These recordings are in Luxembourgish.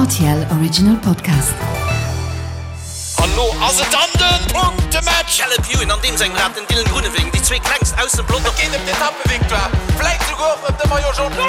RTL Original Podcast. An lo ass et dann den Punktematch! Caleb Ewan an deem sengem Rad, den Dylan Groenewegen, déi zwee klengst aus dem Pelotong. Et geet ëm d'Etappevictoire, vläit souguer och ëm de Maillot Jaune.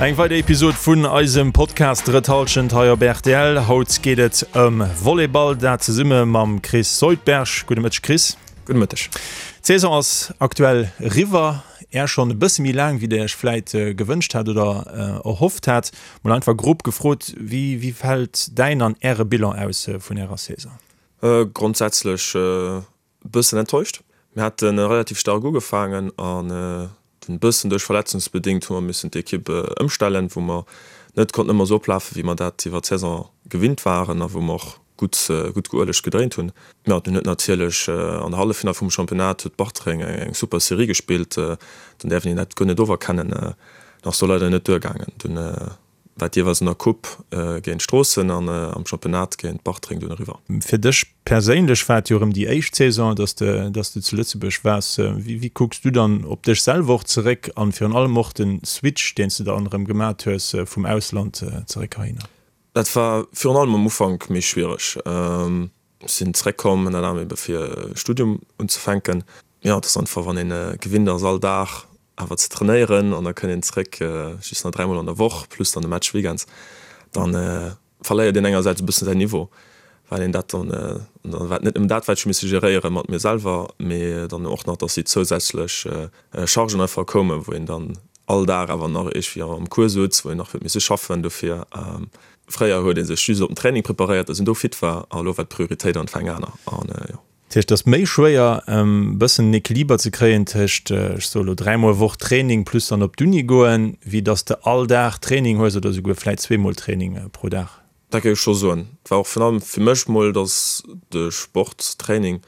Eng weider Episod vun eisem Podcast Drëtt Hallschent hei op rtl. Haut geet et ëm Volleyball, dat zesumme mam Chris Soldberg. Gudde Mëtteg Chris. Gudde Mëtteg. D'Saison ass aktuell eriwwer, är schonn e bësse méi laang wéi der iech vläit gewënscht hat oder erhofft hat. Mol einfach grob gefrot, wéi wéi fält däin an äre Bilan aus vun ärer Saison? Grondsätzlech e bëssen enttäuscht. Mir hate relativ staark ugefaangen an dunn e bëssen duerch verletzungsbedéngt hu mer missen d'Ekipp ëmstellen, wou mer net konnten ëmmer esou oplafen, wéi mer dat iwwer d'Saison gewinnt waren a wou mer och gutt gutt geuelegt gedréint hunn. Jo, dunn huet natierlech an der Halleffinall vum Championnat huet Bartreng eng super Serie gespillt, dann däerf een dat guer net oferkennen. Dat ass do leider net duergaangen. Dunn war et jeeweils an der Coupe géint Stroossen an am Championnat géint Bartreng dunn eriwwer. Fir dech perséinlech war et jo erëm déi éischt Saison, dass de dass de zu Lëtzebuerg waars. Wéi wéi kucks du dann op dech selwer och zeréck an virun allem och de Switch, deen s de dann erëm gemat hues vum Ausland zeréck heihinner? Dat war virun allem am Ufank méi schwiereg. Ech sinn zeréckkomm ënnert anerem ebe fir e Studium unzefänken. Jo, et ass einfach, wann een gewinnt ass all Dag awer ze trainéieren an da kënnt een zeréck just nach dräimol an der Woch plus dann de Match weekends, da verléiert een engersäits e bëssen säin Niveau, well een dat dann, an da war et net nëmmen dat wat ech hu misse geréiere mat mir selwer, mee dann och nach, dass déi zousätzlech Chargen einfach koumen, wou een dann all Dag awer nach iergendwéi am Cours sutz, wou een nach huet misse schaffen dofir. Fréier huet ee sech just op den Training preparéiert, dass een do fit war, a elo war d'Prioritéit einfach eng aner. An jo. Dat heescht, et ass méi schwéier e bëssen en Equiliber ze kréien tëscht, ech soe lo, dräimol Woch Training plus dann op d'Uni goen, wéi dass de all Dag Training hues oder esouguer vläit zweemol Training pro Dag. Dat géif ech scho soen. Et war och virun allem fir mech mol, dass de Sport, Training,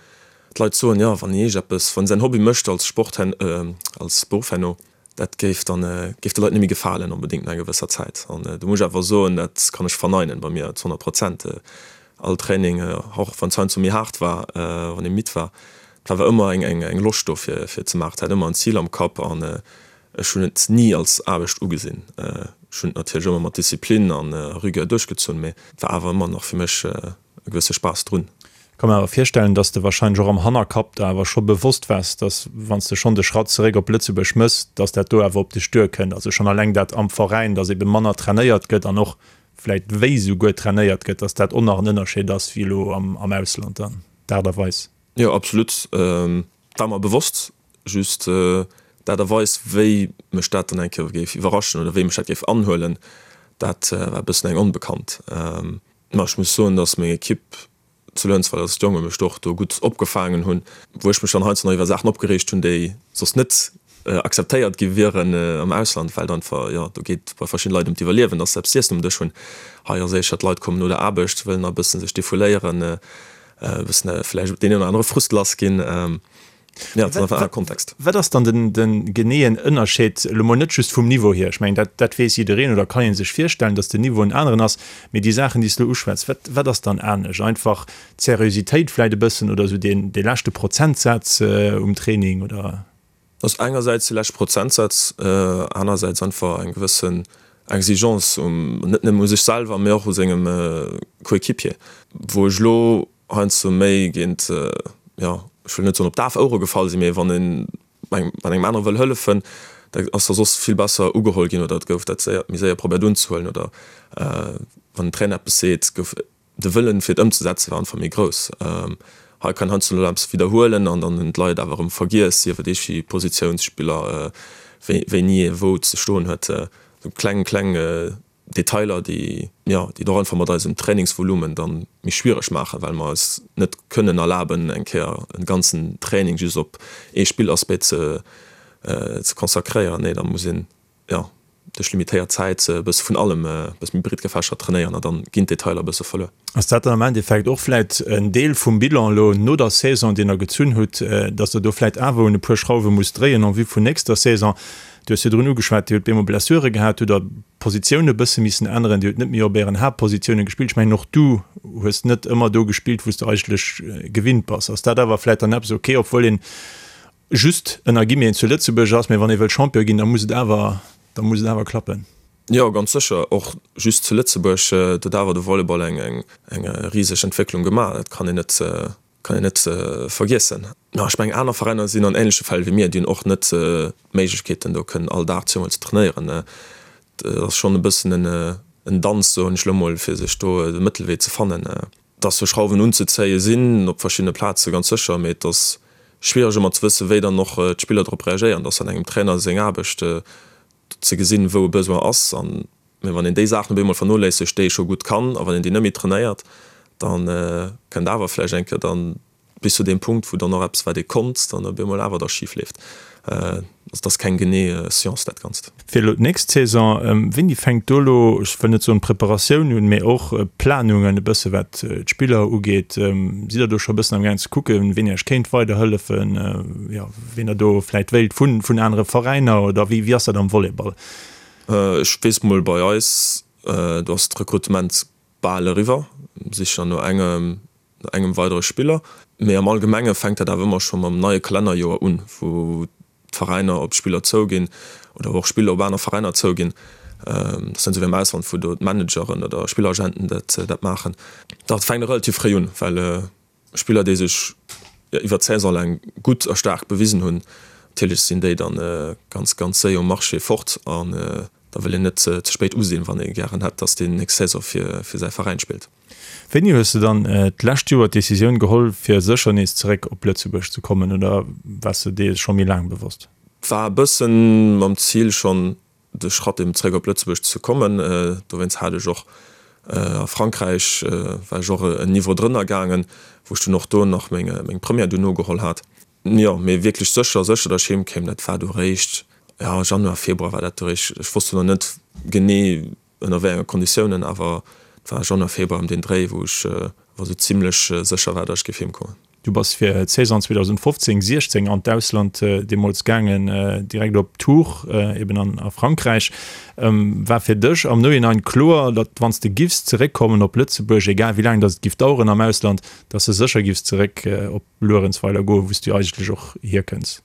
d'Leit soen, jo, wann een iergendeppes, wann een säin Hobby mécht als Sport, als Beruff herno, dat géif dann, géif de Leit net méi gefalen onbedéngt no enger gewësser Zäit. An do muss ech awer soen, dat kann ech verneinen bei mir zu 100 Prozent. All Training, och wann es heiansdo méi haart war, wann ee midd war, et war awer ëmmer eng, eng Loscht do fir, fir ze maachen. Et hat ëmmer en Zil am Kapp an Ech hunn et ni als Aarbecht ugesinn. Ech hunn et natierlech ëmmer mat Disziplin an Rigueur duerchgezunn, mee et war awer ëmmer nach fir mech e gewësse Spaass drun. Ech ka mer awer virstellen, dass de warscheinlech och am Hannerkapp der awer scho bewosst waars, dass wann s de schonn de Schratt zeréck op Lëtzebuerg mëss, dass dat do awer op dech duerkënnt. Also schonn alleng dat am Veräin, dass ebe manner trainéiert gëtt an och vläit wéi souguer trainéiert gëtt, dass dat och nach en Ënnerscheed ass wéi elo am Ausland dann, d'Aart a Weis. Jo, absolut. War mer bewosst, just d'Aart a Weis, wéi mech dat dann eng Kéier géif iwwerraschen oder wéi mech dat géif anhuelen, dat war e bëssen eng Onbekannt. Ma ech muss soen, datt meng Ekipp zu Lënzweiler, datt d'Jonge mech do och do gutt opgefaangen hunn, wou ech mech dann heiansdo nach iwwer Saachen opgereegt hunn, déi soss net akzeptéiert gi wieren am Ausland, well et einfach, jo, do geet bei verschiddene Leit ëm d'Iwwerliewen, datt se eppes z'iessen um Dësch hunn. Hei ass éischer, d'Leit kommen no der Aarbecht, wëllen nach e bëssen sech defouléieren, e bëssen vläicht deen een oder anere Frust lass ginn. Jo, et ass einfach en anere Kontext. Wat ass dann den, de geneeën Ënnerscheed, elo mol net just vum Niveau hier, ech mengen, dat, dat weess jiddereen oder kann ee sech virstellen, datt den Niveau en aneren ass, mee déi Saachen, déi s de elo uschwätz, wat, wat ass dann anescht? Einfach d'Seriositéit vläicht e bëssen oder esou deen, dee leschte Prozentsaz um Training oder? Ass engersäits de leschte Prozentsaz, anersäits einfach eng gewëssen Exigence um, net nëmmen u sech selwer, mee och u sengem Coéquipier, wou ech elo heiansdo méi géint, jo, ech wëll net soen op daf Ouere gefall sinn, mee wann een engem, wann engem anere wëll hëllefen, da ass da soss vill besser ugeholl ginn oder et gouf dat séier, méi séier probéiert unzehuelen oder wann den Trainer eppes seet, gouf De Wëllen fir et ëmzesetzen war einfach méi grouss. Hei kann heiansdo elo eppes widderhuelen an dann hunn d'Leit awer erëm vergiess, sief et eeschi Positiounsspiller, wéini ee wou ze stoen huet. Esou kleng, kleng Detailer, déi, jo, déi et och einfach mat eisem Trainingsvolumen dann méi schwiereg maachen, well mer eis net kënnen erlaben, eng Kéier e ganzen Training just op ee Spillaspect ze consacréieren. Nee, da muss een jo, duerch limitéiert Zäit e bësse vun allem e bësse méi breet gefächert trainéieren a dann ginn d'Detailer e bësse verluer. Ass dat dann am Endeffekt och vläit en Deel vum Bilan elo no der Saison, deen Der gezunn hutt, datt Der do vläit awer un e puer Schrauwe musst dréien en vue vun nächster Saison? Du hues virdrun ugeschwat, Dir hutt bemol Blessure gehat, hutt Der Positioune bësse missen änneren, Dir hutt net méi op Ären Haaptpositioune gespillt. Ech mengen och du hues net ëmmer do gespillt, wou s de eigentlech gewinnt bass. Ass dat awer vläit dann eppes, okay, obwuel een just ënner Guillemeten zu Lëtzebuerg ass, mä wann ee wëll Champion ginn, da muss et awer, da muss et awer klappen. Jo, ganz sécher. Och just zu Lëtzebuerg huet awer de Volleyball eng eng riseg Entwécklung gemaach. Dat kann een net kann een net vergiessen. Ma ech mengen, aner Veräiner sinn an änleche Fäll wéi mir, déi hunn och net d'Méiglechkeeten, do kënnen all Dag zweemol ze trainéieren. Dat ass schonn e bëssen en Danz, soen ech elo mol, fir sech do de Mëttelwee ze fannen. Dass do Schrauwen unzezéie sinn op verschiddene Plaze ganz sécher, mee et ass schwiereg ëmmer ze wëssen, wéi dann och d'Spiller drop reagéieren. Et ass dann engem Trainer seng Aarbecht, ze gesinn, wou e Besoin ass. An, mee wann een déi Saachen op eemol vernoléissegt, déi ee scho gutt kann, a wann een déi net méi trainéiert, da kënnt awer vläicht eng Kéier dann bis zu deem Punkt, wou dann och eppes, wat ee konnt, dann op eemol awer da schif leeft. Also et ass keng genee Science, dat Ganzt. Fir elo d'nächst Saison, wéini fänkt do elo, ech wëll net soen d'Preparatioun un, mee och d'Planungen e bësse wat d'Spiller ugeet? Sidd Der do scho e bëssen amgaang ze kucken, ween Iech kéint weiderhëllefen, jo, ween Der do vläicht wéilt vun vun anere Veräiner oder wéi wéi ass dat am Volleyball? Ech weess mol bei eis, do ass d'Rekrutement bal eriwwer, sicher no engem no engem weidere Spiller. Mee am Allgemenge fänkt dat awer ëmmer scho mam neie Kalennerjoer un, wou d'Veräiner op d'Spiller zouginn oder wou och Spiller op aner Veräiner zouginn. Dat ass net esou wéi am Ausland, wou do d'Manageren oder Spilleragenten dat dat maachen. Dat fänkt relativ fréi un, well Spiller, déi sech iwwer d'Saison laang gutt a staark bewisen hunn, natierlech sinn déi dann ganz, ganz séier um Marché fort an da wëll een net ze spéit usinn, wann ee gären hätt, datt deen nächst Saison fir säi Veräin spillt. Wéini hues de dann d'lescht Joer d'Decisioun geholl, fir sécher nees zeréck op Lëtzebuerg ze kommen oder waars de dees scho méi laang bewosst? War e bëssen mam Zil schonn de Schratt eben zeréck op Lëtzebuerg ze kommen. Dowéinst hat ech och a Frankräich, war ech och en Niveau drënner gaangen, wou ech dunn och do nach meng meng Première dunn nogeholl hat. Jo, mee wierklech sécher, sécher, datt ech heem kéim, dat war du réischt, jo, Januar, Februar war dat du réischt. Ech wosst du nach net genee ënner wéi enge Konditiounen, awer et war Januar, Februar ëm deen Dréi, wou ech awer esou zimlech sécher war, datt ech géif heem kommen. Du bass fir d'Saison 2015, 16 an d'Ausland deemools gaangen, direkt op Tours, eben an a Frankräich. War fir dech am Nohinein kloer, datt wann s de giffs zeréckkommen op Lëtzebuerg, egal wéi laang datt et giff daueren am Ausland, datt s de sécher giffs zeréck op Luerenzweiler goen, wou s du eigentlech och hierkënns?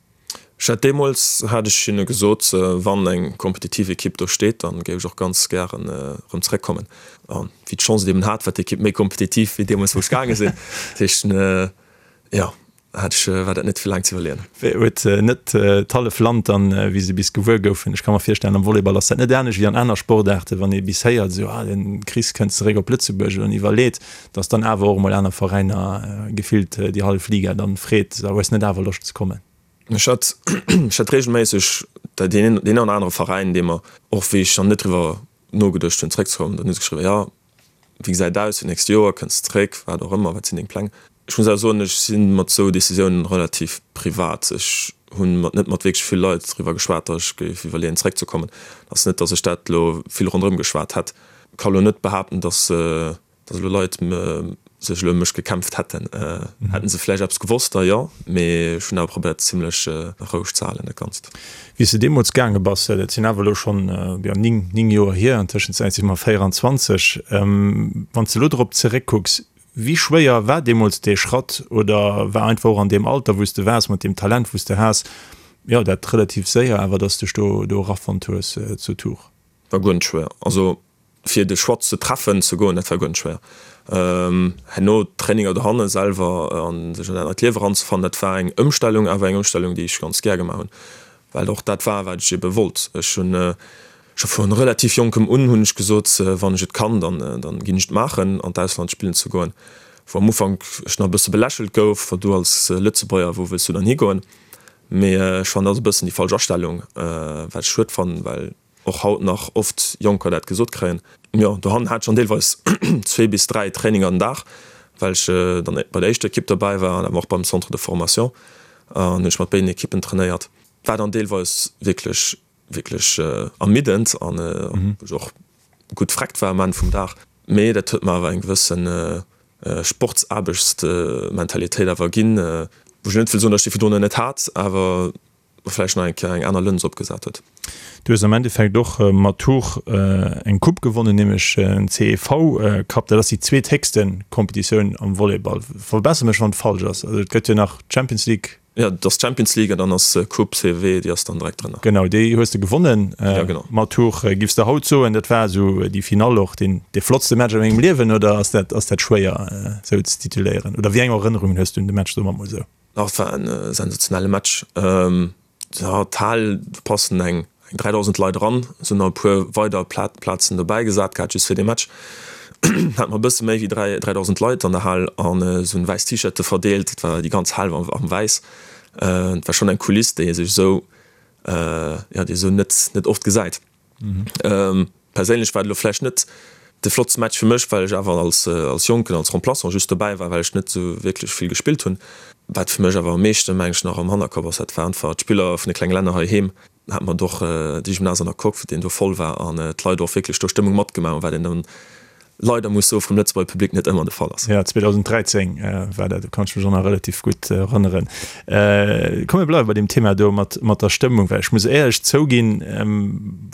Ech hat deemools hat ech hinne gesot, wann eng kompetitiv Ekipp do steet, dann géif ech och ganz gären erëm zeréckkommen. An wéi d'Chance et eben hat, war d'Ekipp méi kompetitiv wéi deemools wou ech gaange sinn. Dat heescht, jo, hat ech, war dat net fir laang ze iwwerleeën. Huet net d'hallef Land dann, wéi se bis gewuer goufen, ech ka mer virstellen, am Volleyball ass dat net anescht wéi an aner Sportaarten, wann ee bis héiert, esou, ah, den Chris kënnt zeréck op Lëtzebuerg, an iwwerleet, dass dann awer och emol aner Veräiner gefillt déi hallef Liga dann freet, so hues net awer Loscht ze kommen? Ech hat ech hat regelméisseg deen een oder anere Veräin, dee mer och wéi ech dann net driwwer nogeduecht hunn zréckzekommen, dann hu se geschriwwen, jo wéi gesäit et aus fir d'nächst Joer, kënns de zréck, wat och ëmmer, wat sinn deng Pläng? Ech muss awer soen, ech si mat esou Decisiounen relativ privat. Ech hunn mat net mat wierklech vill Leit driwwer geschwat, datt ech géif iwwerleeën zréckzekommen. Et ass net, datt ech dat elo vill ronderëm geschwat hätt. Ka elo net behaapten, datt Datt elo Leit sech elo ëm mech gekämpft hätten. Hätten se vläicht eppes gewosst, da jo, mee ech hunn awer probéiert zimlech roueg ze halen dat Ganzt. Wéi s de deemools gaange bass, dat sinn awer elo schonn, jo, 9, 9 Joer hier, an Tëschenzäit si mer 24, wann s de elo drop zeréckkucks, wéi schwéier war deemools dee Schratt oder war einfach och an deem Alter wou s de waars, mat deem Talent wou s de has, jo, dat relativ séier awer, datt s dech do do erafonnt hues zu Tours? War guer net schwéier. Also Fir de Choix ze treffen, ze goen, dat war guer net schwéier. Herno d'Traininger dohanne selwer a sech an dat neit Liewe eranzefannen, dat war eng Ëmstellung, awer eng Ëmstellung, déi ech ganz gär gemaach hunn, well och dat war, wat ech ebe wollt. Ech hunn scho vu relativ jonkem un hunn ech gesot, wann ech et kann, dann dann ginn ech et maachen, an d'Ausland spillen ze goen. Wou am Ufank ech nach e bësse belächelt gouf, Wa du als Lëtzebuerger, wou wëlls du dann higoen? Mee ech fannen, dat ass e bëssen déi falsch Astellung, wat ech schued fannen, well och haut nach oft Jonker dat gesot kréien. Jo, dohannen hat ech dann deelweis zwee bis dräi Traininger den Dag, well ech dann bei der éischter Ekipp derbäi war an awer och beim Centre de formation an hunn ech mat béiden Ekippen trainéiert. War dann deelweis wierklech, wierklech ermiddend an wou ech och gutt vreckt war um Enn vum Dag. Mee dat huet mer awer eng gewëssen Sportsaarbechtsmentalitéit awer ginn, wou ech net wëll soen, datt ech déi virdrun net hat, awer vläicht nach eng Kéier eng aner Lëns opgesat huet. Du hues am Endeffekt och mat Tours eng Coupe gewonnen, nämlech den CEV Cup. Dat ass déi zweethéchste Competitioun am Volleyball. Verbesser mech wann et falsch ass. Also et gëtt jo nach d'Champions League. Jo, dat ass d'Champions League an dann ass Coupe CW, déi ass dann direkt drënner. Genau, déi hues de gewonnen ja, genau. Mat Tours. Giffs de haut soen, dat war esou déi Finall och deen dee flottste Match a mengem Liewen oder ass dat ass dat schwéier esou ze tituléieren? Oder wéi eng Erënnerungen hues de un de Match, soe mer mol esou? Ach, et war en sensationelle Match. Jo, d'Hal, do passen eng 3.000 Leit eran. Et sinn nach e puer weider Plazen dobäi gesat gehat, just fir dee Match. Hate mer e bësse méi wéi 3.000 Leit an der Hal an se hunn wäiss T-Shirte verdeelt. Et war déi ganz Hal war am Wäiss. Et war schonn eng Kuliss, déi ee sech esou, jo, déi ee esou net, net oft gesäit. Perséinlech war et elo vläicht net de flottste Match fir mech, well ech awer als als Jonken, als Remplaçant just dobäi war, well ech net esou wierklech vill gespillt hunn. Wat fir mech awer am meeschten, meng ech, nach am Hannerkapp ass, dat war einfach d'Spiller vun de klenge Länner heiheem. Hat mer och de Gymnase an der Coque, deen do voll war an d'Leit och wierklech do Stëmmung matgemaach hunn, wat een dann leider muss soe vum Lëtzebuerger Public net ëmmer de Fall ass. Jo, 2013 war dat, do kann ech mech och nach relativ gutt erënneren. Komm mir bleiwe bei deem Thema do mat mat der Stëmmung, well ech muss éierlech zouginn,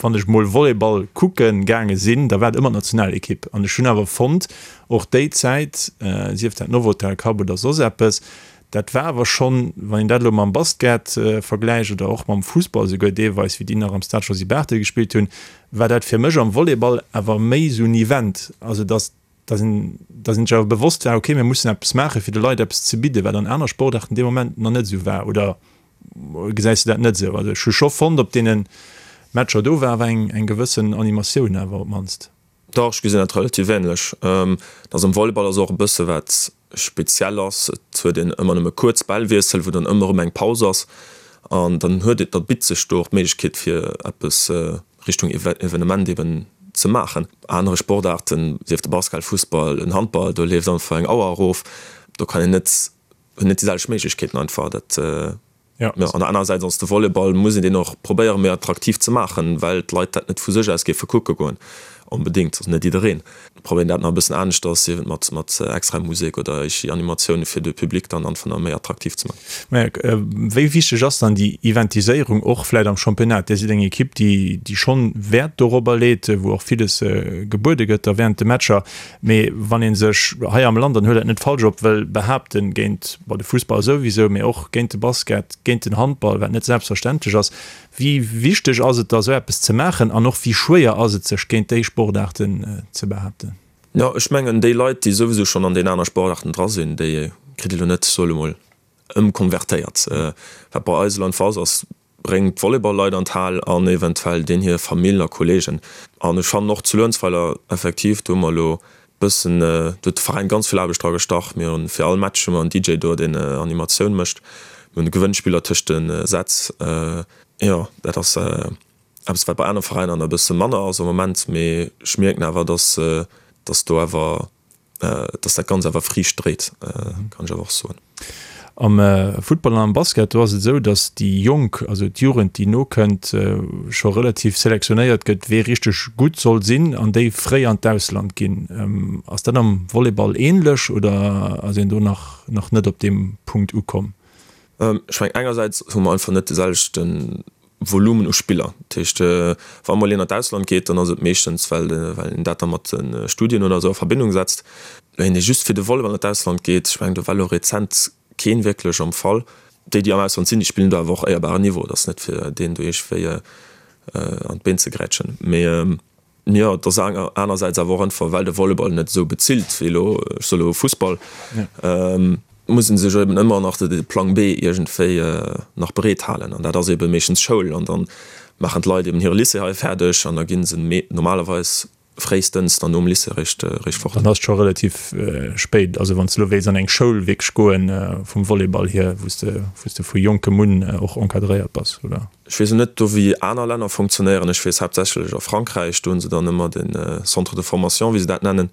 wann ech mol Volleyball kucke gaange sinn, da war et ëmmer d'Nationalekipp an ech hunn awer fonnt, och déi Zäit, sief dat Novotel Cup oder soss eppes, Dat war awer schonn, wann een dat elo mam Basket vergläicht oder och mam Fussball esouguer deelweis, wéi déi nach am Stade Josy Barthel gespillt hunn, war dat fir mech am Volleyball awer méi esou en Event. Also datt datt een datt een sech awer bewosst war, okay, mir mussen eppes maachen, fir de Leit eppes ze bidden, wat an aner Sportaarten dee Moment nach net esou war. Oder gesäis de dat net esou? Also ech hu scho fonnt, op deene Matcher do war awer eng eng gewëssen Animatioun awer op d'mannst. Dach, ech gesinn dat relativ ähnlech. Dass am Volleyball ass och e bësse wat speziell ass, et huet een ëmmer nëmme kuerz Bällwiessel, wou dann ëmmer erëm eng Paus ass an dann huet een, da bitt sech do och d'Méiglechkeet fir eppes Richtung Evenement eben ze maachen. Anere Sportaarten, sief de Basket, Fussball, en Handball, do leeft einfach eng Auer erof, do kann een net, huet net déi selwecht Méiglechkeeten einfach. Dat Ja. An der anerer Säit ass de Volleyball, muss een deen och probéieren, méi attraktiv ze maachen, well d'Leit dat net vu sech aus géife kucke goen onbedéngt, also net jiddereen. Probéieren dat nach e bëssen aneschters, sief et mat mat extra Musek oder éischi Animatioune fir de Public dann einfach nach méi attraktiv ze maachen. Mä wéi wichteg ass dann déi Eventiséierung och vläit am Championnat? Dir sidd eng Ekipp, déi déi schonn Wäert dorobber leet, wou och villes gebuede gëtt da während de Matcher. Mee wann ee sech hei am Land, an huel dat net falsch op, wëll behaapten géint, bon, de Fussball souwisou, mee och géint de Basket, géint den Handball, wat net selbstverständlech ass, wéi wichteg ass et da sou eppes ze maachen an och wéi schwéier ass et sech géint déi Sportaarten ze behaapten? Jo, ech mengen déi Leit, déi souwisou schonn an deenen aner Sportaarten dra sinn, déi kritt ee lo net, soe lo mol, ëmkonvertéiert. Wat bei eis elo einfach ass, ass Bréngt d'Volleyball-Leit an d'Hal an eventuell deen hir Famill a Kollegen. An ech fannen och zu Luerenzweiler effektiv, do hu mer elo bëssen, do huet de Veräin ganz vill Aarbecht dra gestach. Mir hunn fir all Match hu mer en DJ do, deen Animatioun mécht. Mir hunn Gewënnspiller tëscht de Sätz. Jo, dat ass eppes, wat bei anere Veräiner nach e bësse manner ass am Moment. Mee ech mierken awer, dass, dass do awer dass dat Ganzt awer Friicht dréit, kann ech awer och soen. Am Futtball an am Basket, do ass et esou, datt déi Jonk, also d'Jugend, déi nokënnt, scho relativ selektionéiert gëtt, wee richteg gutt soll sinn an déi fréi an d'Ausland ginn. Ass dat am Volleyball änlech oder ass een do nach nach net op deem Punkt ukomm? Ech mengen, engersäits hu mer einfach net de selwechte Volumen u Spiller. Dat heescht, wa mol een an d'Ausland geet, dann ass et meeschtens, well een dat da mat de Studien oder esou a Verbindung setzt. Een, dee just fir de Volleyball an d'Ausland geet, ech mengen, do war elo rezent keen wierklech am Fall. Déi, déi am Ausland sinn, déi spillen do awer och éierbaren Niveau. Et ass net, fir deen do iergendwéi an d'Been ze grätschen. Mee Jo, et ass anersäits awer och einfach, well de Volleyball net esou bezilt wéi elo, ech soe elo Fussball, muss ee sech eben ëmmer nach de Plang B iergendwéi nach bereet halen. An dat ass ebe meeschtens Schoul. An da maachen d'Leit eben hire Lycée hei fäerdeg an da gi se normalerweis fréistens dann nom Lycée eréischt fort. Dann ass et scho relativ spéit. Also wann s de elo wéilts an eng Schoul wierklech goen vum Volleyball hier, wou s de wou s de vu jonkem un och encadréiert bass, oder? Ech weess net do wéi aner Länner funktionéieren. Ech weess haaptsächlech a Frankräich, do hunn se dann ëmmer de Centre de formation, wéi se dat nennen.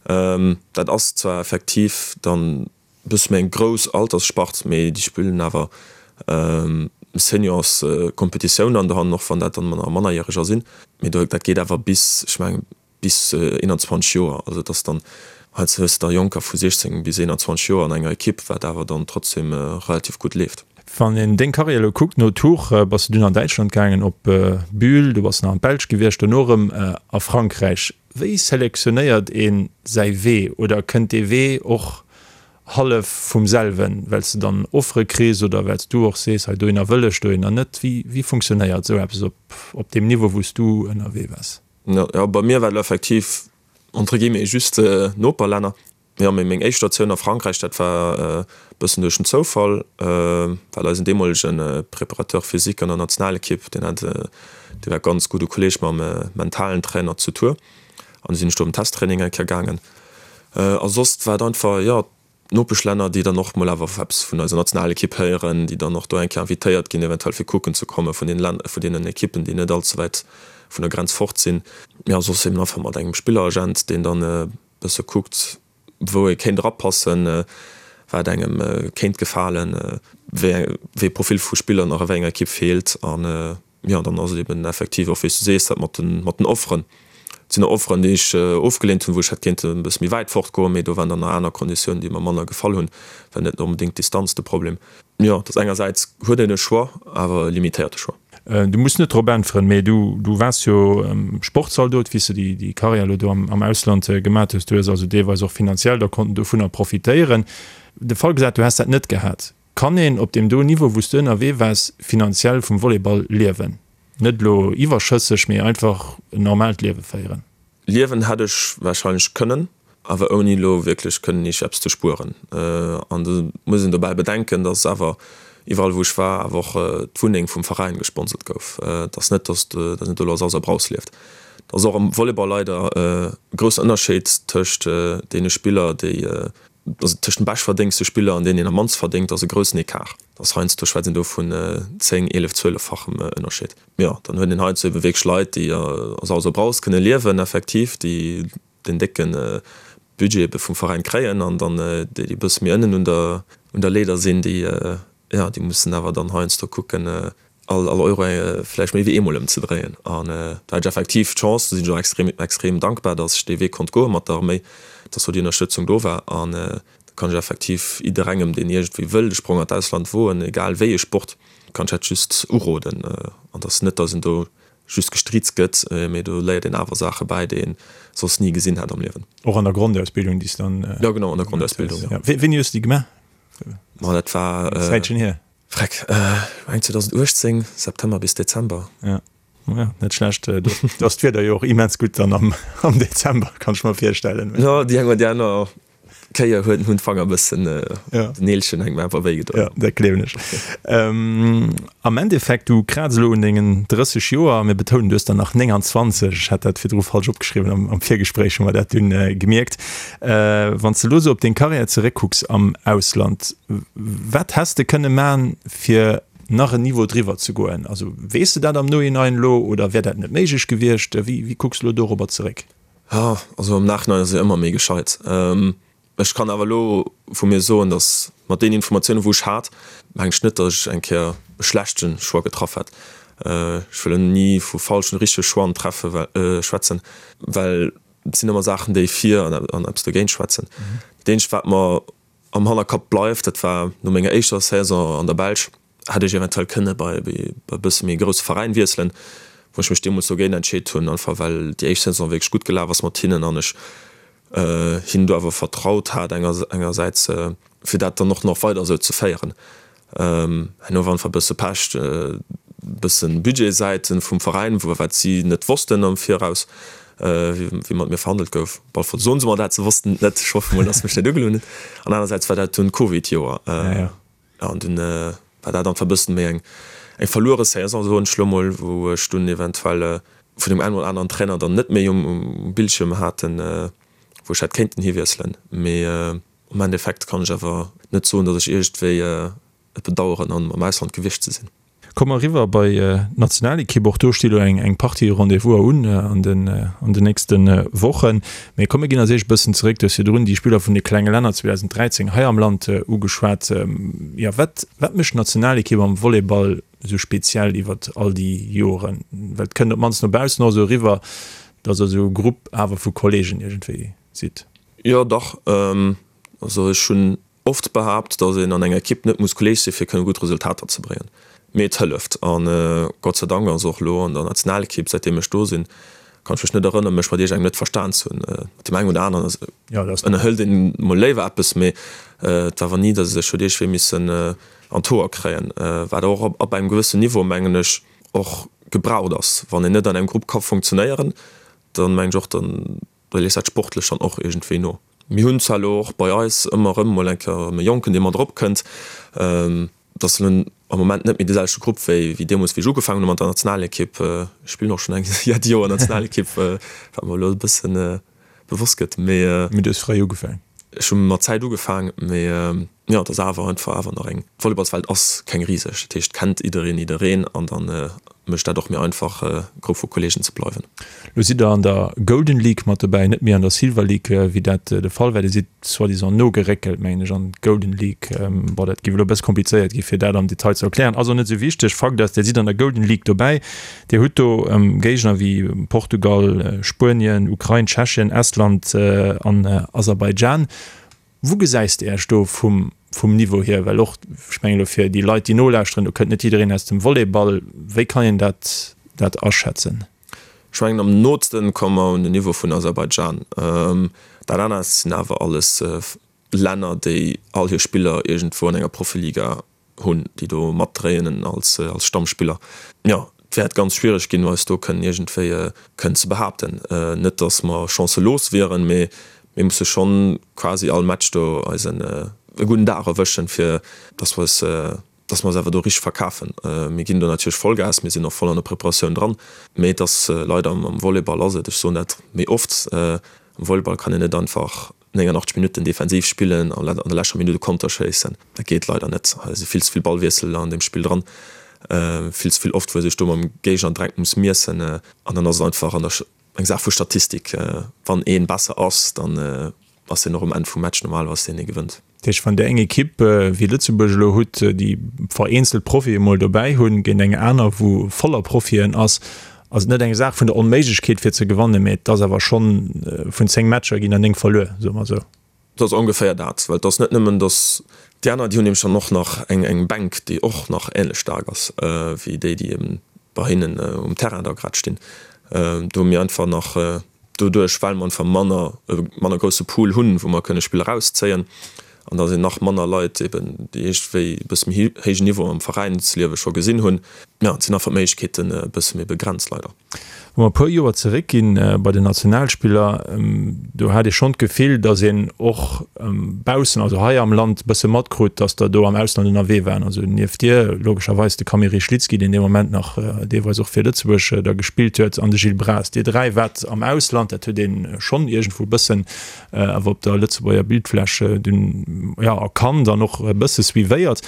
Dat ass zwar effektiv dann e bësse méi eng grouss Altersspart, mee déi spillen awer Seniorskompetitioun an do hannen, och wann dat dann Mannerjäreger sinn. Mee do, dat geet awer bis, ech mengen, bis 21 Joer, also et ass dann, heiansdo hues de da Jonker vu 16 bis 21 Joer an enger Ekipp, wat awer dann trotzdem relativ gutt leeft. Wann een deng Karriär elo kuckt, no Tours bass de dunn an Däitschland gaangen, op Bühl, du bass nach an d'Belsch gewiescht, dono erëm a Frankräich. Wéi selektionéiert ee säi Wee oder kënnt dee Wee och. hallef vum selwen, well s de dann Offere kriss oder well s du och sees, hei dohinner wëll ech, dohinner net? Wéi, wéi funktionéiert esou eppes op, op deem Niveau, wou s du ënnerwee waars? Jo, bei mir war et effektiv entre guillemets just Noperlänner. Jo, mee meng éischt Statioun a Frankräich, dat war e bëssen duerch den Zoufall, well eisen deemolege Préparateur physique an der Nationalekipp, deen hat, dee war ganz gudde Kolleeg mam mentalen Trainer zu Tours, an du sinn ech do op en Testtraining eng Kéier gaangen. A soss war et einfach, jo, d'Nopeschlänner, déi dann och mol awer eppes vun eiser Nationalekipp héieren, déi dann och do eng Kéier invitéiert ginn, eventuell fir kucken ze komme vun deenen Länner, vun deenen Ekippen, déi net all ze wäit vun der Grenz fort sinn. Jo, soss eben einfach mat engem Spilleragent, deen dann e bësse kuckt, wou ee kéint erapassen, wat engem kéint gefalen, wéi ee Profil vu Spiller nach a wéi enger Ekipp feelt. An jo, dann ass et eben effektiv och, wéi s du sees, dat mat den, mat den Offeren. Et sinn och Offeren, déi ech ofgeleent hunn, wou ech hätt kéinten e bësse méi wäit fortgoen, mee do waren dann nach aner Konditiounen, déi mer manner gefall hunn. War net onbedéngt d'Distanz de Problem. Jo, et ass engersäits huet een e Choix, awer e limitéierte Choix. Du muss net drop äntweren, mee du, du waars jo Sportzaldot, wéi s de déi, déi Karriär elo do am, am Ausland gemat hues. Du hues also deelweis och finanziell da konnten dovunner profitéieren. De Fall gesat, du häss dat net gehat, Kann een op deem do Niveau, wou s du ënnerwee waars, finanziell vum Volleyball liewen? Net elo iwwerschësseg, mee einfach en normaalt Liewe féieren? Liewen hätt ech warscheinlech kënnen, awer ouni elo wierklech kënnen ierg eppes ze spueren. An do muss een dobäi bedenken, dass awer iwwerall wou ech war, awer och d'Wunneng vum Veräin gesponsert gouf. Et ass net, dass een do elo a Saus a Braus lieft. Et ass och am Volleyball leider e groussen Ënnerscheed tëscht deene Spiller, déi Also tëscht dem beschtverdéngste Spiller an deen, deen am mannst verdéngt, ass e groussen Ecart. Dat ass heiansdo schwätzt een do vun 10, 11, 12-fachem Ënnerscheed. Jo, dann huet een heiansdo ebe wierklech Leit, déi a Saus a Braus kënne liewen, effektiv, déi den décke Budget ebe vum Veräin kréien an dann déi, déi e bësse méi ënnen un der, un der Leeder sinn, déi, jo, déi mussen awer dann heiansdo kucken, all Euro vläicht méi wéi eemol ëmzedréien. An do hat ech effektiv d'Chance, do sinn ech och extrem, extrem dankbar, datt ech dee Wee konnt goe mat der Arméi, datt do déi Ënnerstëtzung do war. An da kann ech effektiv jidderengem, deen iergendwéi wëll de Sprong an d'Ausland woen, egal wéi ee Sport, kann ech dat just uroden. An et ass net, datt een do just gestriizt gëtt, mee do léiert een awer Saache bäi, déi een soss ni gesinn hätt am Liewen. Och an der Grondausbildung, déi s de dann. Jo, genau, an der Grondausbildung, jo. Wéini hues de déi gemaach? Ma dat war. Zäitchen hier. Freck, eng 2018, September bis Dezember. Ja, ja, net schlecht. Do ass d'Wieder jo och immens gutt dann am, am Dezember, kann ech mer virstellen. Jo, déi eng oder déi aner Kéier huet, hunn d'Fanger e bëssen, ja, den Neelchen hänkt mer einfach wéi gedoen. Ja, dat gleewen ech. Am Endeffekt, du kraaz elo un dengen 30 Joer, mir betounen, du hues der nach 29, ech hat dat virdru falsch opgeschriwwen, am, am Virgespréich hu mer dat dunn gemierkt. Wann s de elo esou op deng Karriär zeréckkucks am Ausland, Wat häss de kënne man, fir nach en Niveau driwwer ze goen? Also weess de dat am Nohinein elo oder wär dat net méiglech gewiescht? Wéi, wéi kucks de elo dorobber zeréck? Jo, also am Nachhinein ass ee ëmmer méi gescheit. Ech kann awer elo vu mir soen, datt mat deenen Informatiounen, wou ech hat, mengen ech net, datt ech eng Kéier e schlechte Choix getraff hätt. Ech wëll ni vu falschen, richtege Choixen treffe well, schwätzen, well et sinn ëmmer Saachen, déi fir an eppes dogéint schwätzen. Dat eenzegt, wat mer am Hannerkapp bleift, dat war no menger éischter Saison an der Belsch, hätt ech eventuell kënne bei e bësse méi grousse Veräin wiesselen, wou ech mech deemools dogéint entscheet hunn, einfach well déi éischt Saison wierklech gutt gelaf ass mat hinnen an ech hinnen do awer vertraut hat engersäits, fir dat dann och nach weider esou ze féieren. Herno war einfach e bësse Pech, e bësse Budgetsäite vum Veräin, wou wat si net wossten am Viraus, wéi mat mir verhandelt gouf. Op alle Fall soen se mer dat, se wossten et net. Ech hoffe mol, datt se mech net ugelunn hunn. An anersäits war dat dunn d'Covid-Joer. An dunn war dat einfach e bëssen méi eng verluere Saison, soen ech lo mol, wou ech dunn eventuell vun deem engen oder aneren Trainer dann net méi um Bildschierm haten, wou ech hätt kéinten hiwiesselen. Mee Am Endeffekt kann ech awer net soen, datt ech iergendwéi et bedaueren, am Ausland gewiescht ze sinn. Komme mer eriwwer bei d'Nationalekipp. Och do sti lo eng Partie Rendez-vouser un an den nächste Wochen. Mee komm mir ginn als éischt e bëssen zeréck. Du hues virdrun déi Spiller vun de klenge Länner 2013 hei am Land ugeschwat. Jo, wat mécht d'Nationalekipp am Volleyball esou speziell iwwert all déi Joren? Well et kënnt op d'mannst no baussen och esou eriwwer, datt der esou e Grupp awer vu Kolleegen iergendwéi sidd. Jo dach, also ech hunn oft behaapt, datt een an enger Ekipp net muss Kolleeg sinn, fir kënne gutt Resultater ze bréngen, mee et hëlleft. An Gott sei Dank ass och elo an der Nationalekipp, säitdeem ech do sinn, Kann ech mech net erënneren, mech mat iergendengem net verstan ze hunn. Mat deem engen oder aneren ënnerhëlt een mol léiwer eppes, mee et war awer ni, datt ech huet iergendwee missen an d'Hoer kréien. Wat och ab engem gewëssen Niveau, mengen ech, och gebraucht ass. Wann een net an engem Grupp ka funktionéieren, dann mengen ech och, dann léisst dat sportlech dann och iergendwéi no. Mir hunn zwar elo och bei eis ëmmer erëm mol eng Kéier e Jonken, dee mat eropkënnt. Et ass elo am Moment net méi de selwechte Grupp wéi deemools, wéi ech ugefaangen hu mat der Nationalekipp. Ech spillen och schonn eng jett Joer Nationalekipp, wat mer elo e bësse bewosst gëtt. Mee. Mee du hues fréi ugefaangen. Ech hu mat Zäit ugefaang, mee jo, et ass awer einfach awer nach eng. D'Volleyballswelt ass keng riseg, dat heescht, et kennt jiddereen jiddereen an da mécht dat och méi einfach, Grupp vu Kolleegen ze bleiwen. Lo sidd der an der Golden League mat dobäi, net méi an der Silver League, wéi dat de Fall war. Dir sidd soi-disant nogeréckelt, mengen ech, an d'Golden League. Bon, dat géif elo e bësse komplizéiert gi fir dat am Detail ze erklären, ass och net esou wichteg. Fakt ass, Dir sidd an der Golden League dobäi. Dir hutt do Géigner wéi Portugal, Spuenien, Ukrain, Tschechien, Estland an Aserbaidschan. Wou gesäis de Iech do vum vum Niveau hier? Well och, ech mengen elo fir déi Leit, déi nolauschteren, do kënnt net jiddereen aus dem Volleyball. Wéi kann een dat dat aschätzen? Ech mengen am nootsten komme mer un den Niveau vun Aserbaidschan. Dat anert sinn awer alles Länner, déi all hir Spiller iergendwou an enger Profiliga hunn, déi do matdréinen als Stammspiller. Jo, et wäert ganz schwiereg ginn, eis do kënnen iergendwéi kënnen ze behaapten. Net datt mer chancelos wieren, mee mir musse schonn quasi all Match do eisen e gudden Dag erwëschen, fir datt mer eis, datt mer eis awer do richteg verkafen. Mir ginn do natierlech Vollgas, mir sinn och voll an der Preparatioun dran, mee et ass leider am Volleyball ass et, ech soen dat méi oft, am Volleyball kann een net einfach 89 Minutten defensiv spillen an an der leschter Minutt e Konter schéissen. Dat geet leider net. Hei si vill ze vill Ballwiessel an deem Spill dran, vill ze vill oft, wou ee sech do mam Géigner direkt muss miessen. An dann ass et einfach an der eng Saach vu Statistik. Wann ee besser ass, dann ass hien och um Enn vum Match normalerweis deen, dee gewënnt. Dat heescht, wann Dir eng Ekipp wéi Lëtzebuerg elo hutt, déi vereenzelt Profie emol dobäi hunn, géint eng aner, wou voller Profien ass, ass et net eng Saach vun der Onméiglechkeet fir ze gewannen, mä et ass awer schonn, vun 10 Matcher ginn der 9 verluer, soe mer esou. Et ass ongeféier dat, well et ass net nëmmen, datt déi aner, déi hunn nämlech dann och nach eng eng Bänk, déi och nach änlech staark ass wéi déi, déi eben bei hinnen um Terrain da grad stinn. Do hu mir einfach nach Doduerch, well mer einfach manner, e manner grousse Pool hunn, wou mer kënne Spiller erauszéien, an da sinn nach manner Leit eben, déi iergendwéi e bësse méi héijen Niveau am Veräinsliewe scho gesinn hunn. Jo, et sinn einfach d'Méiglechkeeten e bësse méi begrenzt, leider. Wa mer e puer Joer zeréckginn bei den Nationalspiller, do hat ee schonn d'Gefill, datt een och baussen, also hei am Land, e bësse matkrut, datt der do am Ausland ënnerwee waren. Also nieft dir logescherweis de Kamil Rychlicki, deen dee Moment nach deelweis och fir Lëtzebuerg da gespillt huet, an de Gilles Braas. Dir 3 waart am Ausland, dat huet ee schonn iergendwou e bëssen awer op der Lëtzebuerger Bildfläch dunn, jo, erkannt an och e bësse suivéiert.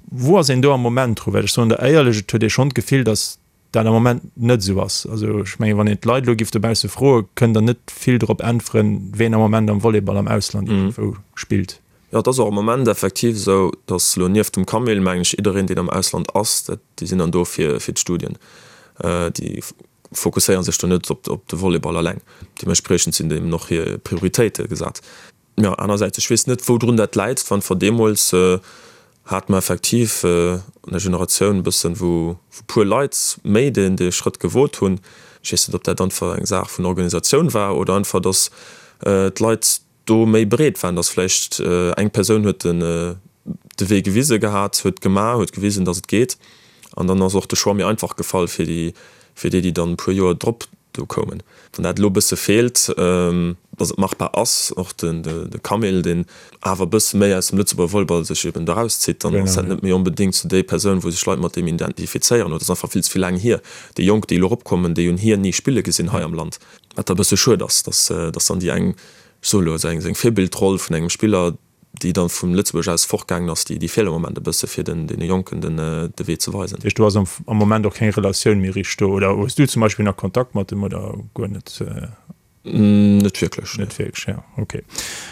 Wou ass een do am Moment dru? Well ech soen der éierlech, et huet ee schonn d'Gefill, datt dat am Moment net esou ass. Also ech mengen, wann een d'Leit elo giff dobausse froen, kënnt der net vill drop äntweren, ween am Moment am Volleyball am Ausland iergendwou spillt. Jo, et ass och am Moment effektiv esou, datt elo nieft dem Camille, mengen ech, jiddereen, deen am Ausland ass, dat, déi sinn dann do fir, fir d'Studien. Déi fokusséiere sech do net op, op de Volleyball eleng. Deementspriechend sinn deem och hir Prioritéite gesat. Jo, anersäits, ech weess net, woudrun dat läit. Wann ver deemools hate mer effektiv an der Generatioun e bëssen, wou puer Leit méi deen dee Schrëtt gewot hunn. Ech weess net, ob dat einfach eng Saach vun Organisatioun war oder einfach, datt d'Leit do méi bereet waren, datt vläicht eng Persoun huet den de Wee gewise gehat, huet gemaach, huet gewisen, datt et geet. An dann ass och de Choix méi einfach gefall fir déi, fir déi, déi dann e puer Joer drop do koumen. Wann dat elo e bësse feelt, datt et machbar ass, och de Camille, deen awer e bësse méi aus dem Lëtzebuerger Volleyball sech eben do erauszitt, dann ass dat net méi onbedéngt sou déi Persoun, wou sech Leit mat deem identifizéieren. Oder et ass einfach vill ze vill laang hier. Déi Jonk, déi elo eropkommen, déi hunn hien ni spille gesinn hei am Land. Wat da e bësse schued ass, datt dann déi eng, ech soe elo, seng Virbildroll vun engem Spiller, déi dann vun Lëtzebuerg aus fortgaangen ass, déi feelt am Moment e bësse fir den deene Jonken den de Wee ze weisen. Dat heescht, do ass am Moment och keng Relatioun méi richteg do, oder hues du zum Beispill nach Kontakt mat em oder guer net? Net wierklech, nee. Net wierklech, ja, ok.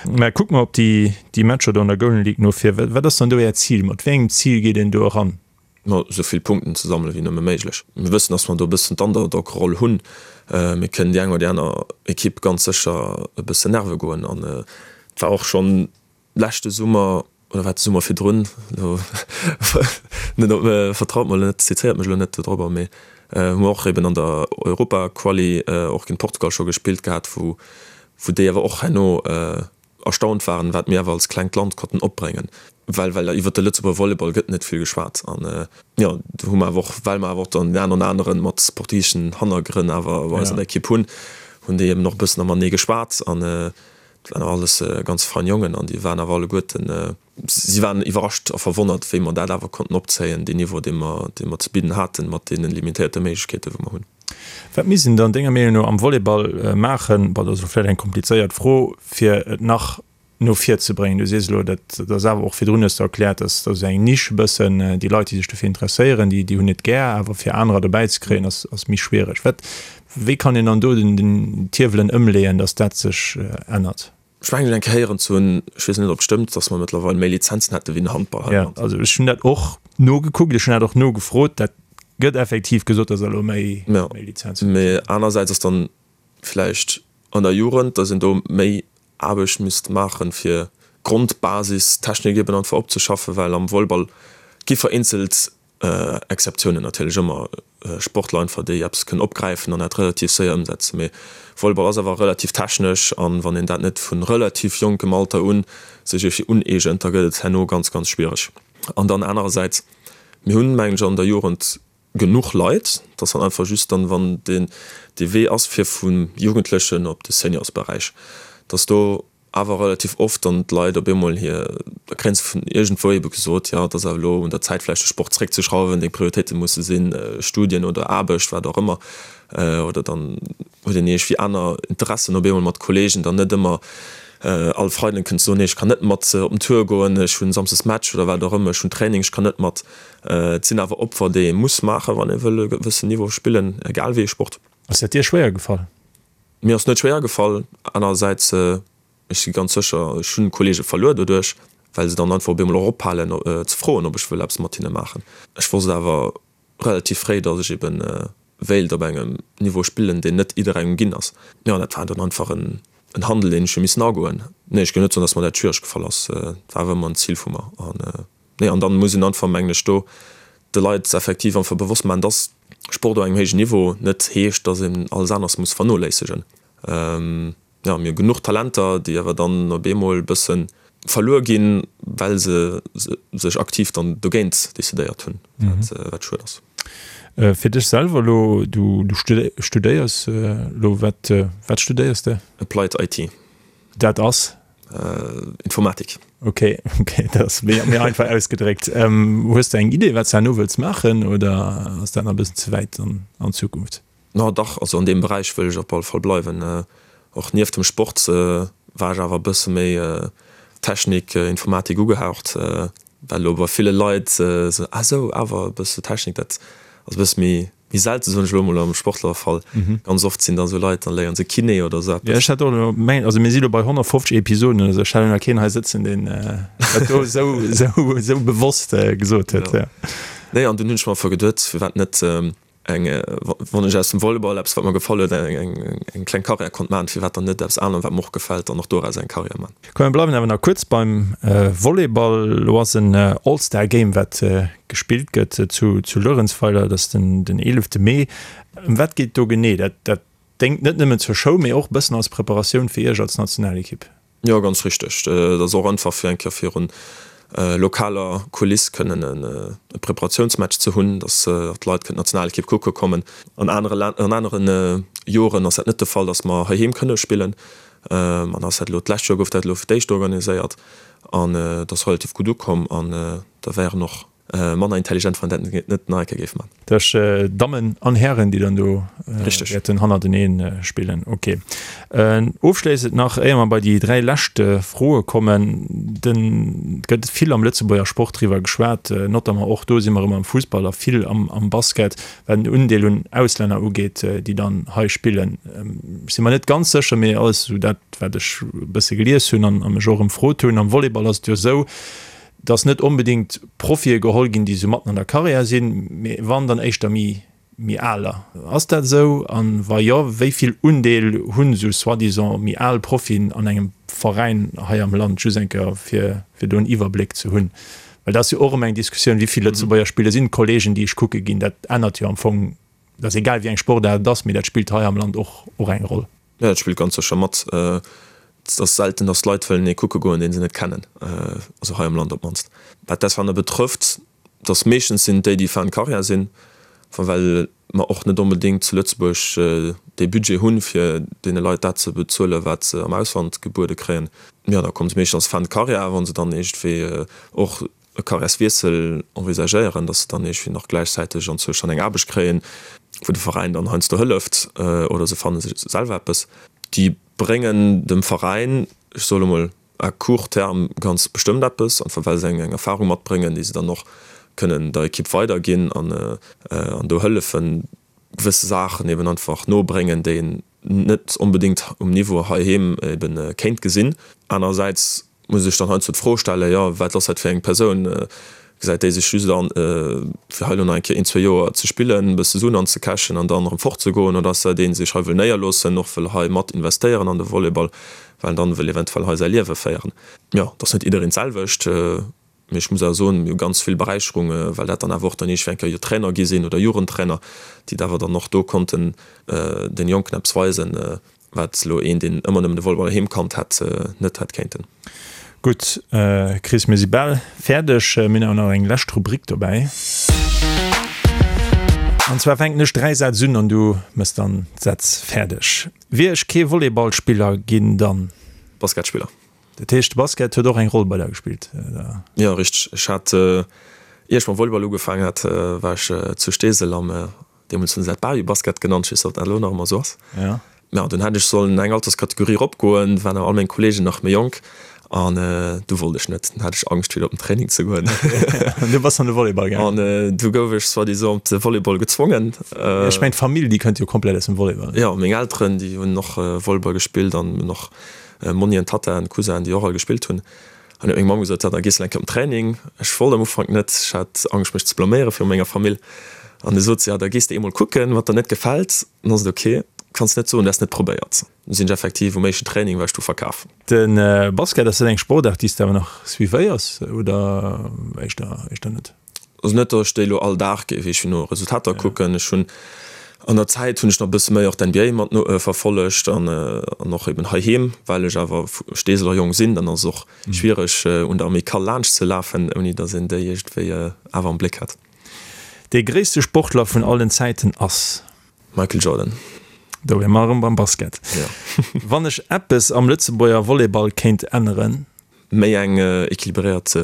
Mä kucke mer op déi déi Matcher do an der Golden League no vir. Wat ass dann do Äert Zil? Mat wéi engem Zil geet een do eran? Ma esou vill Punkten ze sammelen wéi nëmme méiglech. Mir wëssen, dass mer do e bëssen d'Underdog-Roll hunn. Mir kënnen déi eng oder déi aner Ekipp ganz sécher e bëssen nerve goen. An et war och schonn leschte Summer, oder war et de Summer virdrun, elo net op, vertraut mer elo net, zizéiert mech elo net dodrobber, mee. Hu mer och eben an der Europa-Quali och géint Portugal scho gespillt gehat, wou wou déi awer och herno erstaunt waren, wat mir awer als klengt Land konnten opbréngen, well well iwwert de Lëtzebuerger Volleyball gëtt net vill geschwat. An jo, do hu mer awer och, well mer awer och dann deen einen oder aneren mat portugiseschen Hannergrënn awer bei eis an der Ekipp hunn, hunn déi eben och e bëssen matenee geschwat. An dat waren awer alles ganz fein Jongen an déi waren awer alleguerten, si waren iwwerrascht a verwonnert, wéi mer dat awer konnten opzéien, deen Niveau, dee mer, dee mer ze bidden haten, mat deene limitéierte Méiglechkeeten, wou mer hunn. Wat misst een dann denger Meenung no am Volleyball maachen, bon, dat ass elo vläicht eng komplizéiert Fro, fir et nach no vir ze bréngen? Du sees elo, dat ass awer och virdrun hues de erkläert, dass dat ass eng Nisch e bëssen, déi Leit, déi sech dofir interesséieren, déi, déi hunn et gär, awer fir anerer dobäi ze kréien, ass, ass méi schwiereg. Wat, wéi kann een dann do den, den d'Hiewelen ëmleeën, dass dat sech ännert? Ech mengen eng Kéier héieren ze hunn, ech weess net ob et stëmmt, dass mer mëttlerweil méi Lizenzen hätte wéi den Handball hei am Jo, Land. also ech hunn dat och nogekuckt, ech hunn dat och nogefrot, dat gëtt effektiv gesot, dass der elo méi Jo, Lizenzen hutt. mee anersäits ass dann vläicht an der Jugend, dass een do méi Aarbecht misst maachen, fir d'Grondbasis Technik eben einfach opzeschaffen, well am Volleyball gi vereenzelt Exceptiounen natierlech ëmmer, Sportler einfach déi eppes kënnen opgräifen an dat relativ séier ëmsetzen. Mee Volleyball ass awer relativ technesch an wann een dat net vu relativ jonkem Alter un sech iergendwéi uneegent, da gëtt et herno ganz, ganz schwiereg. An dann anerersäits, mir hunn, mengen ech, an der Jugend genuch Leit, dass dann einfach just dann, wann deen dee Wee ass fir vum Jugendlechen op de Seniorsberäich, dass do awer relativ oft dann d'Leit op eemol hir, da kréien se vun iergendwou ebe gesot, jo, et ass awer elo un der Zäit vläicht de Sport zréckzeschrauwen, deng Prioritéite musse sinn Studien oder Aarbecht, wat och ëmmer. Oder dann huet een iergendwéi aner Interessen op eemol mat Kollegen, dann net ëmmer all Freiden kënnt soen, nee ech kann net mat op den Tour goen, ech hunn samsdes Match oder wat och ëmmer, ech hunn Training, ech kann net mat. Et sinn awer Opfer déi ee muss maachen, wann ee wëll e gewëssen Niveau spillen, egal wéi ee Sport. Ass dat dir schwéier gefall? Mir ass net schwéier gefall. Anerersäits, ech si ganz sécher, ech hunn Kollege verluer doduerch, well se dann einfach op eemol och ophalen ze froen, ob ech wëll eppes mat hinne maachen. Ech wosst awer relativ fréi, datt ech ebe wéilt op engem Niveau spillen, deen net jidderengem ginn ass. Jo, dat war dann einfach en Handel, deen ech hu missen agoen. Nee, ech géif net soen, datt mer dat schwiereg gefall ass. Et war awer ëmmer en Zil vu mer. An Nee, an dann muss een einfach, mengen ech, do de Leit effektiv einfach bewosst maachen, dass Sport op engem héijen Niveau net heescht, dass een alles aneres muss vernoléissegen. Jo, mir hu genuch Talenter, déi awer dann op eemol e bësse verluer ginn, well se sech aktiv dann dogéint decidéiert hunn, wat schued ass. Fir dech selwer elo, du studéiers elo, wat studéiers de? Applied IT. Dat ass? Informatik. Ok, ok, dat ass méi, méi einfach ausgedréckt. Ähm, hues de eng Idee, wat s de herno wëlls maachen oder ass dat nach e bëssen ze wäit an, an d'Zukunft? No dach, also an deem Beräich wëll ech op alle Fall bleiwen. Och nieft dem Sport war ech awer e bësse méi Technik, Informatik ugehaucht, well elo bei ville Leit esou, ah sou, awer e bësse Technik, dat ass e bësse méi Méi selte soen ech elo mol am Sportlerfall. Ganz oft sinn da sou Leit, dann léieren se Kiné oder sou eppes. Jo, ech hätt och elo mengt, also mir si lo bei 150 Episoden oder sou, ech hätt elo nach keen hei sëtzen, deen dat do sou, sou, sou bewosst gesot huet, jo. Nee, an dunn hunn ech mer einfach geduet, firwat net eng, wann ech aus dem Volleyball eppes, wat mer gefall huet, eng, eng kleng Karriär konnt maachen, firwat dann net eppes anerem, wat mer och gefält, dann och doraus eng Karriär maachen. Komm mir bleiwen awer nach kuerz beim Volleyball. Elo ass en All-Star Game wat gespillt gëtt zu zu Luerenzweiler, dat ass den den 11 Mee. Ëm wat geet do genee? Dat dat déngt net nëmmen zur Show, mee och e bëssen als Preparatioun fir Iech als Nationalekipp. Jo, ganz richteg. Dat ass och einfach fir eng Kéier virun lokaler Kuliss kënnen e Preparatiounsmatch ze hunn, datt och d'Leit kënnen d'Nationalekipp kucke kommen. An anere an anere Joren ass dat net de Fall, datt mer heiheem kënne spillen. An ass dat elo, d'lescht Joer gouf dat elo fir d'éischt organiséiert an et ass relativ gutt ukomm an da wären och manner intelligent, wann dat net nach eng Kéier géif man. Dat ass Dammen an Hären, déi dann do wäerten hannertenee spillen. Ok. Ofschléissend nach, éier mer bei déi 3 lescht Froe kommen, den, et gëtt vill am Lëtzebuerger Sport driwwer geschwat, notamment och do si mer erëm am Fussball a vill am Basket, wat den Undeel un Auslänner ugeet, déi dann hei spillen. Ech si mer net ganz sécher, mee alles esou dat, wat ech e bësse gelies hunn an mech och ëmfrot hunn, am Volleyball ass et jo esou, dass net onbedéngt Profie geholl ginn, déi esou matten an der Karriär sinn, mee wann, dann éischter méi, méi aler. Ass dat esou? An wa jo, wéi vill Undeel hunn esou soi-disant méi al Profien an engem Veräin hei am Land? Just eng Kéier, fir, fir do en Iwwerbléck ze hunn. Well dat ass jo och ëmmer eng Diskussioun, wéi vill Lëtzebuerger Spiller sinn d'Kollegen, déi ech kucke ginn. Dat ännert jo am Fong. Et ass egal wéi eng Sportaart et ass, mee dat spillt hei am Land och och eng Roll. Jo, dat spillt ganz sécher mat. Et ass selten, datt Leit wëllen ee kucke goen, deen se net kennen, also hei am Land op d'mannst. Wat d'Ausländer betrëfft, et ass meeschtens sinn et déi, déi fin de carrière sinn, well mer och net onbedéngt zu Lëtzebuerg dee Budget hunn, fir deene Leit dat ze bezuelen, wat se am Ausland gebuede kréien. Jo, da komme se meeschtens als fin de carrière, wa se dann iergendwéi och e Carrièreswiessel envisagéieren, dass se dann iergendwéi nach gläichzäiteg anzwousch dann eng Aarbecht kréien, wou de Veräin dann heiansdo hëlleft, oder se fanne sech selwer eppes. Déi bréngen dem Veräin, ech soe lo mol à court terme, ganz bestëmmt eppes, einfach well se eng Erfahrung matbréngen, déi se dann och kënnen der Ekipp weiderginn an do hëllefen, gewësse Saachen eben einfach nobréngen, déi een net onbedéngt um Niveau heiheem eben kéint gesinn. Anerersäits muss ech dann heiansdo d'Fro stellen, jo, wat ass dat fir eng Persoun? Gesäit déi sech just an, fir hei elo nach eng Kéier een, zwee Joer ze spillen, e bësse Suen anzecachen an dann erëm fortzegoen? Oder ass dat een, dee sech hei wëll néierloossen, och wëll hei mat investéieren an de Volleyball, well en dann wëll eventuell hei säi Liewe féieren? Jo, et ass net jiddereen d'selwecht, mee ech muss awer soen, mir hu ganz vill Beräicherung, well dat dann awer och dann iergendwéi eng Kéier jo Trainer gi sinn oder Jugendtrainer, déi et awer dann och do konnten den Jonken eppes weisen, Wat elo een, deen ëmmer nëmmen de Volleyball heem kannt hätt, net hätt kéinten. Gutt, Chris, mir si bal fäerdeg. Mir hunn awer nach eng lescht Rubrik dobäi. An zwar fänken ech 3 Sätz un an du mëss dann d'Sätz fäerdeg. Wier ech kee Volleyballspiller ginn, dann. Basketspiller. Dat heescht, de Basket huet och eng Roll bei der gespillt, oder? Jo, richteg. Ech hat, ier ech mam Volleyball ugefaangen hat, war ech zu Steesel am Deemools hunn se dat Barbie-Basket genannt, ech weess net, ob dat elo nach ëmmer esou ass. Ja. Mä dunn hätt ech sollen eng Alterskategorie eropgoen, waren awer all meng Kolleegen nach méi jonk an du wollt ech net. Dunn hat ech Angscht fir op den Training ze goen. An du bass an de Volleyball gaangen? An du gouf ech soi-disant op de Volleyball gezwongen. Ech mengen d'Famill déi kënnt jo komplett aus dem Volleyball. Jo, meng Elteren déi hunn och Volleyball gespillt an hunn och Monnien, Tattaen, Cousin déi och all gespillt hunn. An huet meng Mamm gesot, da gees de eng Kéier op den Training. Ech wollt am Ufank net, ech hat Angscht mech ze blaméiere viru menger Famill. An du sot se, ja da gees de eemol kucken, wat der net gefält, dann ass et ok, kanns net soen, du häss net probéiert. Du sinn ech effektiv um éischten Training war ech du verkaf. De Basket, ass dat eng Sportaart déi s de awer nach suivéiers oder éischter éischter net? Also net, datt ech déi elo all Dag géif iergendwéi no Resultater kucken. Ech hunn an der Zäit hunn ech nach e bësse méi och d'NBA mat no verfollegt an an och eben heiheem, well ech awer Steeseler Jong sinn, dann ass et och schwiereg un der Amicale laanscht ze lafen, ouni datt een déi iergendwéi awer am Bléck hätt. Dee gréisste Sportler vun allen Zäiten ass? Michael Jordan. Do wier mer erëm beim Basket. Jo. Wann ech eppes am Lëtzebuerger Volleyball kéint änneren? Méi eng equilibréiert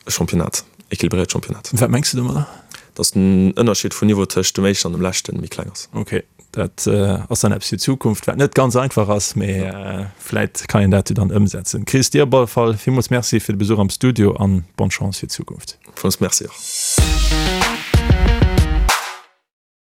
Championnat, equilibréiert Championnat. Wat mengs du domadder? Dass den Ënnerscheed vun Niveau tëscht dem éischten an dem leschten méi kleng ass. Ok, dat ass dann eppes fir d'Zukunft, wat net ganz einfach ass, mee vläit kann een dat jo dann ëmsetzen. Chris, dir op alle Fall villmools Merci fir de Besuch am Studio an bonne Chance fir d'Zukunft. Villmools Merci och.